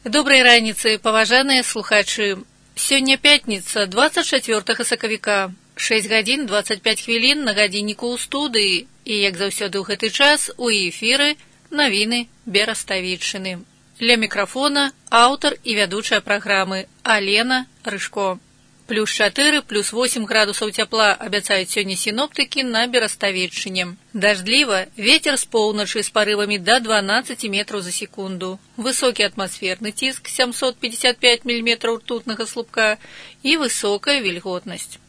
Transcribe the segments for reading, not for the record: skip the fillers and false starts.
Добрай раніцы, паважаныя слухачы. Сёння пятніца, 24 сакавіка, 6 гадзін 25 хвілін на гадзінніку ў студыі. І, як заўсёды ў гэты час, у эфіры навіны Бераставіччыны. Ля мікрафона аўтар і вядучая праграмы Алена Рыжко. Плюс 4, плюс 8 градусаў цяпла абяцаюць сёння сіноптыкі на Бераставіччыне. Дажджліва, вецер з поўначы з парывамі да 12 метраў за секунду. Высокі атмасферны ціск 755 мм ртутнага слупка і высокая вільготнасць.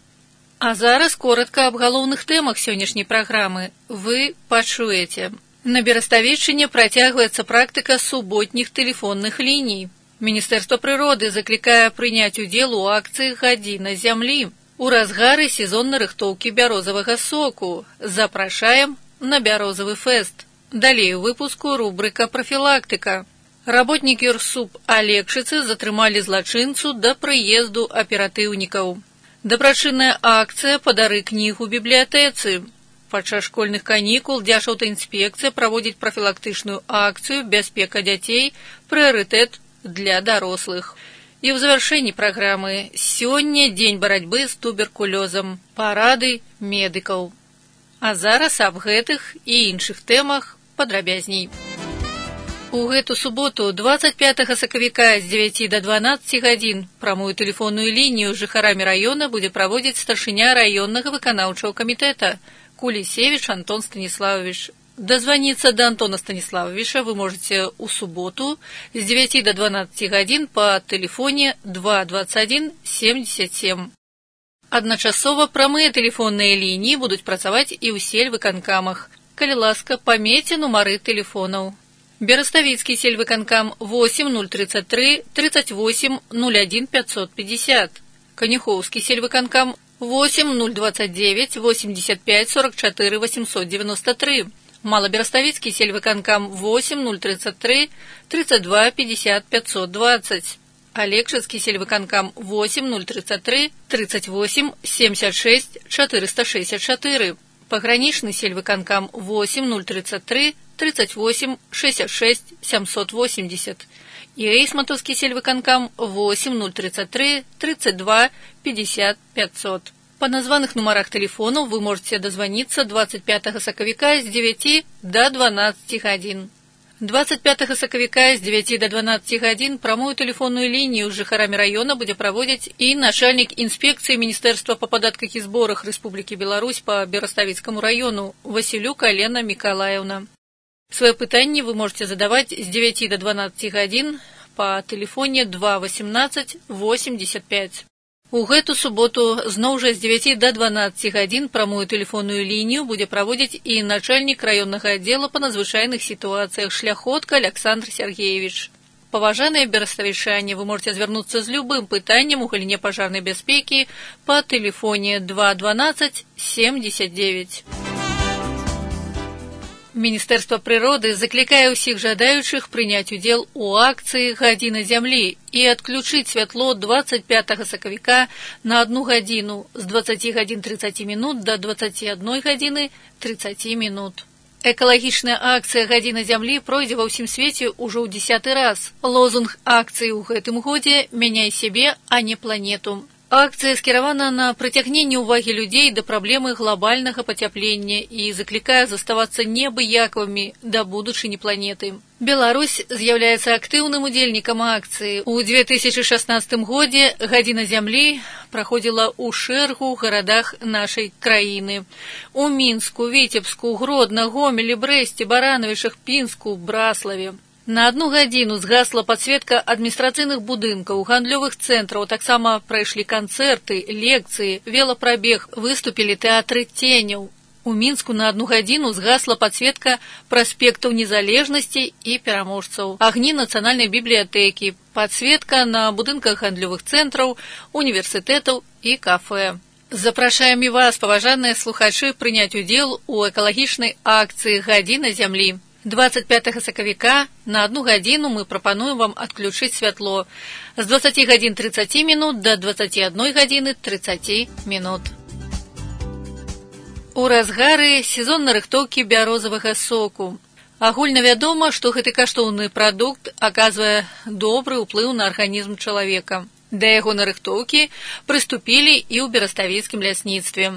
А зараз коротка аб галоўных тэмах сённяшняй праграмы. Вы пачуеце. На Бераставіччыне працягваецца практыка суботніх тэлефонных ліній. Міністэрства прыроды заклікае прыняць удзел у акцыі «Гадзіна зямлі». У разгары сезоннай рыхтоўкі бярозавага соку. Запрашаем на бярозавы фэст. Далей у выпуску рубрыка «Прафілактыка». Работнікі РСУП Алексіцы затрымалі злачынцу да прыезду аператыўнікаў. Дабрачынная акцыя «Падары кнігу бібліятэцы». Падчас школьных канікул Дзяржаўтаінспекцыя праводзіць прафілактычную акцыю «Бяспека дзяцей. Прыярытэт для дарослых». І ў завяршэнні праграмы сёння дзень барацьбы з туберкулёзам, парады медыкаў. А зараз аб гэтых і іншых тэмах падрабязней. У гэту суботу, 25 сакавіка з 9 да 12 гадзін прамую тэлефонную лінію з жыхарамі раёна будзе праводзіць старшыня раённага выканаўчага камітэта Кулісевіч Антон Станіславович. Дозвониться до Антона Станиславовича вы можете у субботу с 9 до 12 гадзін по телефоне 221 77. Адначасова прамыя тэлефонныя лініі будуць працаваць і ў сельвыканкамах. Калі ласка, памяйце нумары тэлефонаў. Бераставіцкі сельвыканкам 8033 38 01 550. Канюхоўскі сельвыканкам 8029 85 44 893. Малобераставіцкі сельвыканкам 8033 32 50 520. Алексіцкі сельвыканкам 8033 38 76 464. Пагранічны сельвыканкам 8033 38 66 780. І эйсматаўскі сельвыканкам 8033 32 50 500. По названых нумарах телефонов вы можете дозвониться 25 сакавіка з 9 до 12 гадзін. 25 сакавіка з 9 до 12 гадзін прамую тэлефонную лінію з жыхарамі раёна будзе праводзіць і начальнік інспекцыі Міністэрства па падатках і зборах Рэспублікі Беларусь па Бераставіцкаму раёну Васілюк Алена Мікалаеўна. Свае пытанні вы можете задаваць з 9 до 12 гадзін па тэлефоне 218 85. У гэту суботу зноў жа з 9 до 12 гадзін прамую тэлефонную лінію будзе праводзіць і начальнік раённага аддзела па надзвычайных сітуацыях Шляхотка Александр Сергеевич. Паважаныя бераставічане, вы можете звярнуцца з любым пытаннем у галіне пажарнай бяспекі па тэлефоне 212 79. Міністэрства прыроды заклікае ўсіх жадаючых прыняць удзел у акцыі «Гадзіна зямлі» і адключыць святло 25 сакавіка на 1 гадзіну з 20 гадзін 30 минут до 21 гадзіны 30 минут. Экалагічная акцыя «Гадзіна зямлі» пройдзе ва ўсім свеце ўжо ў 10-й раз. Лозунг акцыі ў гэтым годзе «Мяняй сябе, а не планету». Акцыя скіравана на прыцягненне ўвагі людзей да праблемы глобальнага пацяплення і заклікае заставацца неабыякавымі да будучыні планеты. Беларусь з'яўляецца актыўным удзельнікам акцыі. У 2016 годзе «Гадзіна зямлі» праходзіла ў шэрагу гарадах нашай краіны. У Мінску, Віцебску, Гродна, Гомелі, Брэсце, Баранавічах, Пінску, Браславе. На 1 гадзіну згасла падсветка адміністрацыйных будынкаў, гандлёвых цэнтраў, таксама прайшлі канцэрты, лекцыі, велапрабег, выступілі тэатры ценяў. У Мінску на 1 гадзіну згасла падсветка праспектаў незалежнасці і пераможцаў, агні нацыянальнай бібліятэкі, падсветка на будынках гандлёвых цэнтраў, універсітэтаў і кафэ. Запрашаем і вас, паважаныя слухачы, прыняць удзел у экалагічнай акцыі «Гадзіна зямлі». 25 сакавіка на 1 гадзіну мы прапануем вам адключыць святло з 20 гадзін 30 минут до 21 гадзіны 30 минут. У разгары сезоннай рыхтоўкі бярозавага соку. Агульна вядома, што гэты каштоўны прадукт аказвае добры ўплыў на арганізм чалавека. Да яго нарыхтоўкі прыступілі і ў бераставіцкім лясніцтве.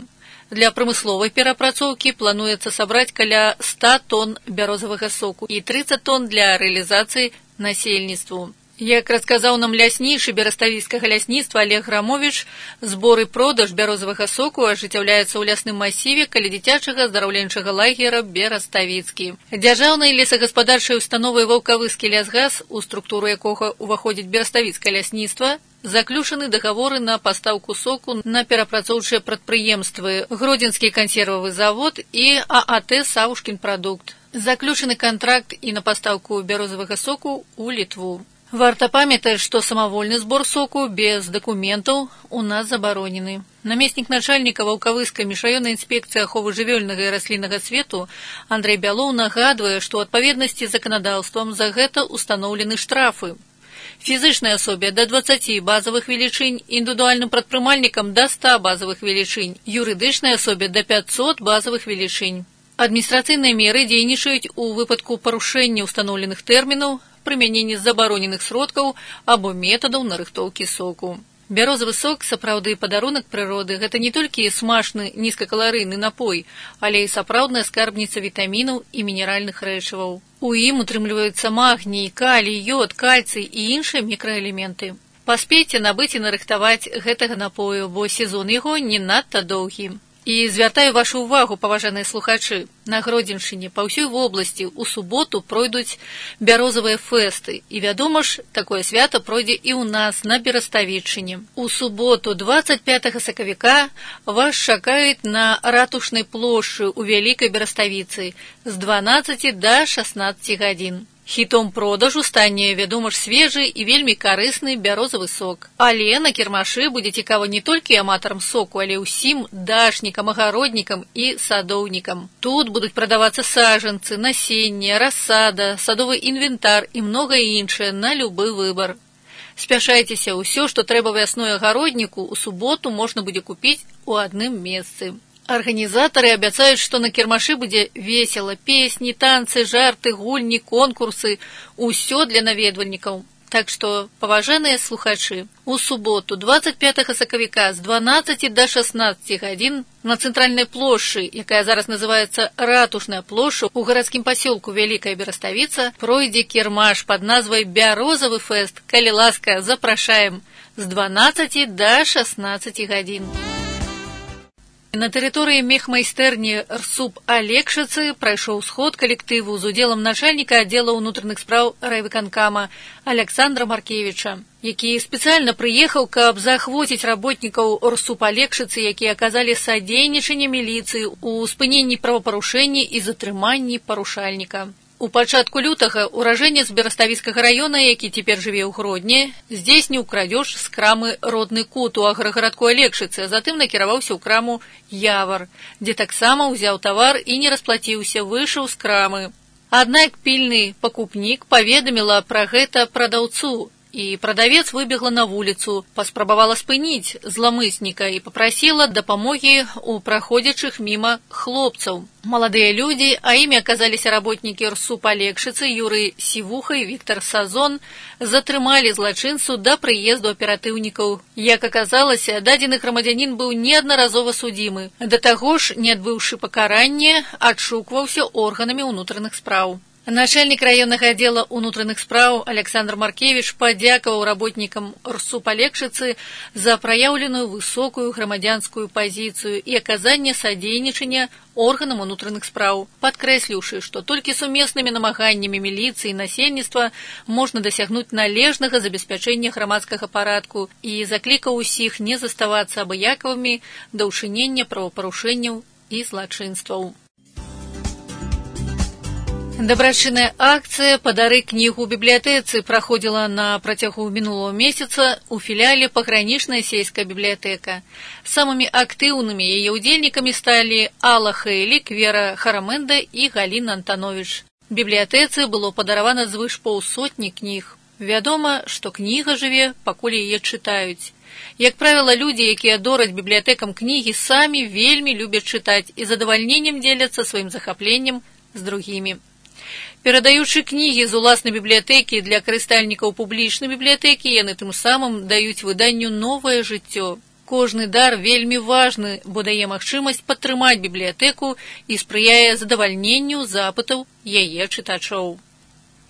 Для прамысловай перапрацоўкі плануецца сабраць каля 100 тонн бярозавага соку і 30 тонн для рэалізацыі насельніцтву. Як расказаў нам ляснейшы бераставіцкага лясніцтва Олег Грамович, збор і продаж бярозавага соку ажыццяўляецца ў лясным масіве каля дзіцячага аздараўленчага лагера Бераставіцкі. Дзяржаўнай лесагаспадарчай установай Ваўкавыскі лясгас, у структуру якога ўваходзіць бераставіцкае лясніцтва, заключаны дагаворы на пастаўку соку на перапрацоўчыя прадпрыемствы Гродзенскі кансервавы завод і ААТ «Саўшкін прадукт». Заключаны кантракт і на пастаўку бярозавага соку ў Літву. Варта памятаць, што самавольны збор соку без дакументаў у нас забаронены. Намеснік начальніка Ваўкавыскай міжраённай інспекцыі аховы жывёльнага і расліннага свету Андрэй Бялоў нагадвае, што ў адпаведнасці з заканадаўствам за гэта устаноўлены штрафы. Фізычнай асобе да 20 базавых велічынь, індывідуальным прадпрымальнікам да 100 базавых велічынь, юрыдычнай асобе да 500 базавых велічынь. Адміністрацыйныя меры дзейнічаюць у выпадку парушэння ўстаноўленых тэрмінаў, прымяненні забароненых сродкаў або метадаў нарыхтоўкі соку. Бярозавы сок сапраўды падарунак прыроды. Гэта не толькі смачны нізкакаларыйны напой, але і сапраўдная скарбніца вітамінаў і мінеральных рэчываў. У ім утрымліваюцца магній, калій, ёд, кальцый і іншыя мікраэлементы. Паспейце набыць і нарыхтаваць гэтага напою, бо сезон яго не надта доўгі. І звяртаю вашу ўвагу, паважаныя слухачы, на Гродзеншчыне па ўсёй вобласці ў суботу пройдуць бярозавыя фэсты. І вядома ж, такое свята пройдзе і ў нас на Бераставіччыне. У суботу 25 сакавіка вас чакаюць на ратушнай плошчы ў Вялікай Бераставіцы з 12 да 16 гадзін. Хітом продажу стане, вядома ж, свежы і вельмі карысны бярозавы сок. Але на кірмашы будзе цікава не толькі аматарам соку, але ўсім дачнікам, агароднікам і садоўнікам. Тут будуць прадавацца сажанцы, насенне, рассада, садовы інвентар і многае іншае на любы выбар. Спяшайцеся, ўсё, што трэба вясной агародніку, у суботу можна будзе купіць у адным месцы. Арганізатары абяцаюць, што на кірмашы будзе весела, песні, танцы, жарты, гульні, конкурсы, усё для наведвальнікаў. Так што, паважаныя слухачы, у суботу 25 сакавіка з 12 да 16 гадзін на цэнтральнай плошчы, якая зараз называецца Ратушная плошча, у гарадскім пасёлку Вялікая Бераставіца, пройдзе кірмаш пад назвай «Бярозавы фэст». Калі ласка, запрашаем з 12 да 16 гадзін. На тэрыторыі мехмайстэрні РСУП Алексіцы прайшоў сход калектыву з удзелам начальніка аддзела ўнутраных спраў райвыканкама Александра Маркевіча, які спецыяльна прыехаў, каб заахвоціць работнікаў РСУП Алексіцы, якія аказалі садзейнічанне міліцыі ў спыненні правапарушэння і затрыманні парушальніка. У пачатку лютага уражэнец Бераставіцкага раёна, які цяпер жыве ў Гродні, здзейсніў крадзеж з крамы «Родны кут» у аграгарадку Алексіцы, а затым накіраваўся ў краму «Явар», дзе таксама ўзяў тавар і не расплаціўся, выйшаў з крамы. Аднак пільны пакупнік паведаміла пра гэта прадаўцу, і прадавец выбегла на вуліцу, паспрабавала спыніць зламысніка і папрасіла дапамогі ў праходзячых міма хлопцаў. Маладыя людзі, а імі аказаліся работнікі РСУП Алексіцы Юрый Сівуха і Віктор Сазон, затрымалі злачынцу да прыезду аператыўнікаў. Як аказалася, дадзены грамадзянін быў неаднаразова судзімы. Да таго ж, не адбыўшы пакаранне, адшукваўся органамі ўнутраных спраў. Начальнік раённага аддзела ўнутраных спраў Александр Маркевіч падзякаваў работнікам РСУП Алексіцы за праяўленую высокую грамадзянскую пазіцыю і аказанне садзейнічання органам унутраных спраў, падкрэсліўшы, што толькі сумеснымі намаганнямі міліцыі і насельніцтва можна дасягнуць належнага забеспячэння грамадскага парадку і заклікаў усіх не заставацца абыякавымі да ўчынення правапарушэнняў і злачынстваў. Дабрачынная акцыя «Падары кнігу бібліятэцы» праходзіла на працягу мінулого месяца ў філіяле пагранічная сельская бібліятэка. Самымі актыўнымі яе ўдзельнікамі сталі Алла Хейлік, Вера Харамэнда і Галіна Антанович. Бібліятэцы было падаравана звыш 500 кніг. Вядома, што кніга жыве, пакуль яе чытаюць. Як правіла, людзі, якія дораць бібліятэкам кнігі, самі вельмі любяць чытаць і задавальненнем дзеляцца сваім захапленнем з другімі. Перадаючы кнігі з уласнай бібліятэкі для карыстальнікаў публічнай бібліятэкі, яны тым самым даюць выданню новае жыццё. Кожны дар вельмі важны, бо дае магчымасць падтрымаць бібліятэку і спрыяе задавальненню запытаў яе чытачоў.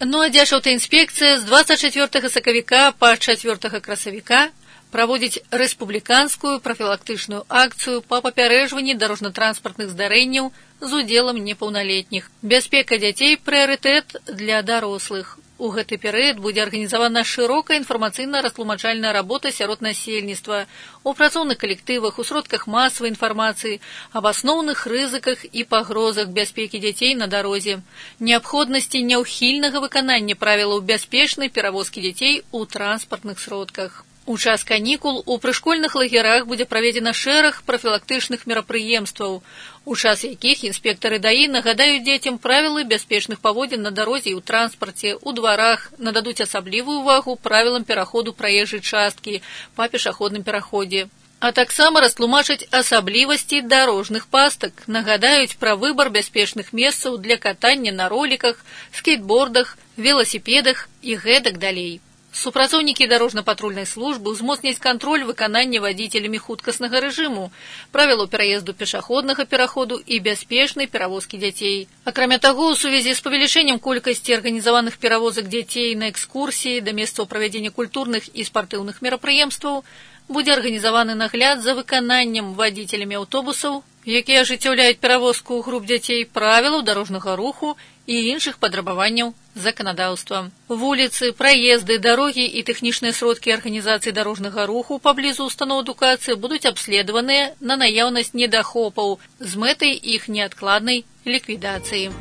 Ну а Дзяржаўтаінспекцыя з 24 сакавіка па 4 красавіка праводзіць рэспубліканскую прафілактычную акцыю па папярэджванні дарожна-транспартных здарэнняў з удзелам непаўналетніх. Бяспека дзяцей – прыярытэт для дарослых. У гэты перыяд будзе арганізавана шырокая інфармацыйна-растлумачальная работа сярод насельніцтва, у працоўных калектывах, у сродках масавай інфармацыі, аб асноўных рызыках і пагрозах бяспекі дзяцей на дарозе, неабходнасці няўхільнага выканання правілаў бяспечнай перавозкі дзяцей у транспартных сродках. У час канікул у прышкольных лагерах будзе праведзена шэраг прафілактычных мерапрыемстваў, у час якіх інспектары ДАІ нагадаюць дзецям правілы бяспечных паводзін на дарозе і ў транспарце, у дварах, нададуць асаблівую ўвагу правілам пераходу праезжай часткі па пешаходным пераходзе. А таксама растлумачаць асаблівасці дарожных пастак, нагадаюць пра выбар бяспечных месцаў для катання на роліках, скейтбордах, веласіпедах і гэтак далей. Супрацоўнікі дарожна-патрульнай службы ўзмоцняць кантроль выканання вадзіцелямі хуткаснага рэжыму, правілаў пераезду пешаходнага пераходу і бяспечнай перавозкі дзяцей. Акрамя таго, у сувязі з павелічэннем колькасці арганізаваных перавозак дзяцей на экскурсіі да месцаў правядзення культурных і спартыўных мерапрыемстваў будзе арганізаваны нагляд за выкананнем вадзіцелямі аўтобусаў, якія ажыццяўляюць перавозку груп дзяцей, правілаў дарожнага руху і іншых падрабаванняў заканадаўства. Вуліцы, праезды, дарогі і тэхнічныя сродкі арганізацыі дарожнага руху паблізу устаноў адукацыі будуць абследаваныя на наяўнасць недахопаў з мэтай іх неадкладнай ліквідацыі.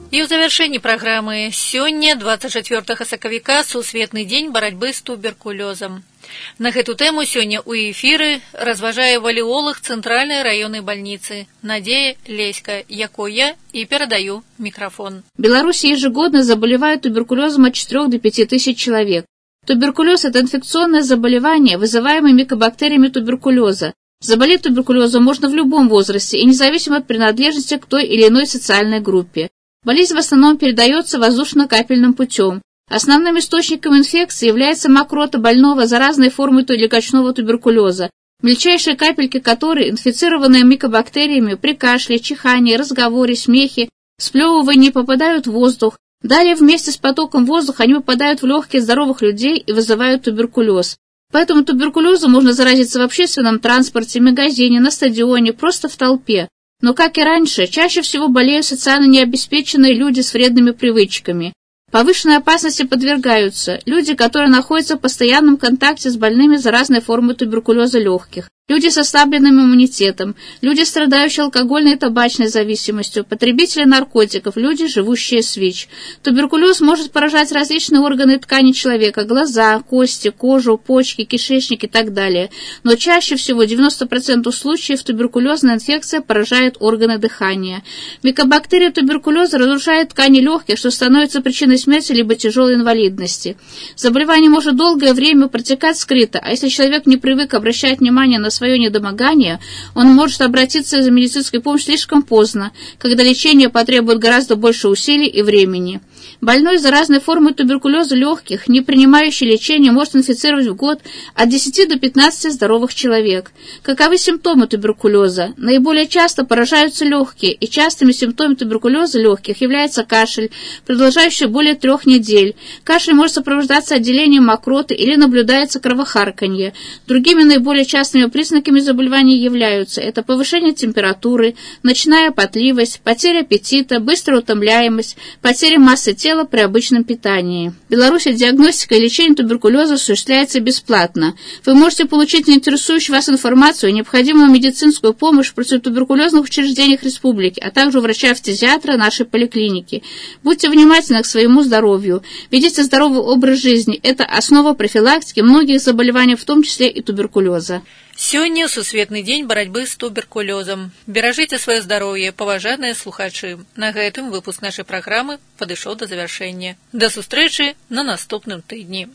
І ў завяршэнні праграмы сёння, 24 сакавіка, сусветны дзень барацьбы з туберкулёзам. На гэту тэму сёння ў эфіры разважае валеолог Цэнтральнай раённай бальніцы Надзея Леська, якой я и передаю микрофон. В Беларуси ежегодно заболевают туберкулезом от 4 до 5 тысяч человек. Туберкулез – это инфекционное заболевание, вызываемое микобактериями туберкулеза. Заболеть туберкулезом можно в любом возрасте и независимо от принадлежности к той или иной социальной группе. Болезнь в основном передается воздушно-капельным путем. Основным источником инфекции является мокрота больного заразной формой легочного туберкулеза, мельчайшие капельки которой, инфицированные микобактериями, при кашле, чихании, разговоре, смехе, сплевывании попадают в воздух. Далее вместе с потоком воздуха они попадают в легкие здоровых людей и вызывают туберкулез. Поэтому туберкулезом можно заразиться в общественном транспорте, магазине, на стадионе, просто в толпе. Но, как и раньше, чаще всего болеют социально необеспеченные люди с вредными привычками. Повышенной опасности подвергаются люди, которые находятся в постоянном контакте с больными заразной формой туберкулеза легких, люди с ослабленным иммунитетом, люди, страдающие алкогольной и табачной зависимостью, потребители наркотиков, люди, живущие с ВИЧ. Туберкулез может поражать различные органы и ткани человека – глаза, кости, кожу, почки, кишечник и так далее. Но чаще всего, 90% случаев, туберкулезная инфекция поражает органы дыхания. Микобактерия туберкулеза разрушает ткани легких, что становится причиной смерти либо тяжелой инвалидности. Заболевание может долгое время протекать скрыто, а если человек не привык обращать внимание на свое недомогание, он может обратиться за медицинской помощью слишком поздно, когда лечение потребует гораздо больше усилий и времени. Больной заразной формой туберкулеза легких, не принимающий лечение, может инфицировать в год от 10 до 15 здоровых человек. Каковы симптомы туберкулеза? Наиболее часто поражаются легкие, и частыми симптомами туберкулеза легких является кашель, продолжающий более 3 недель. Кашель может сопровождаться отделением мокроты или наблюдается кровохарканье. Другими наиболее частыми признаками заболевания являются это повышение температуры, ночная потливость, потеря аппетита, быстрая утомляемость, потеря массы тела при обычном питании. В Беларуси диагностика и лечение туберкулеза осуществляется бесплатно. Вы можете получить интересующую вас информацию и необходимую медицинскую помощь в противотуберкулезных учреждениях республики, а также у врача-фтизиатра нашей поликлиники. Будьте внимательны к своему здоровью. Ведите здоровый образ жизни. Это основа профилактики многих заболеваний, в том числе и туберкулеза. Сёння сусветны дзень барацьбы з туберкулёзам. Беражыце сваё здароўе, паважаныя слухачы. На гэтым выпуск нашай праграмы падышоў да завяршэння. Да сустрэчы на наступным тыдні.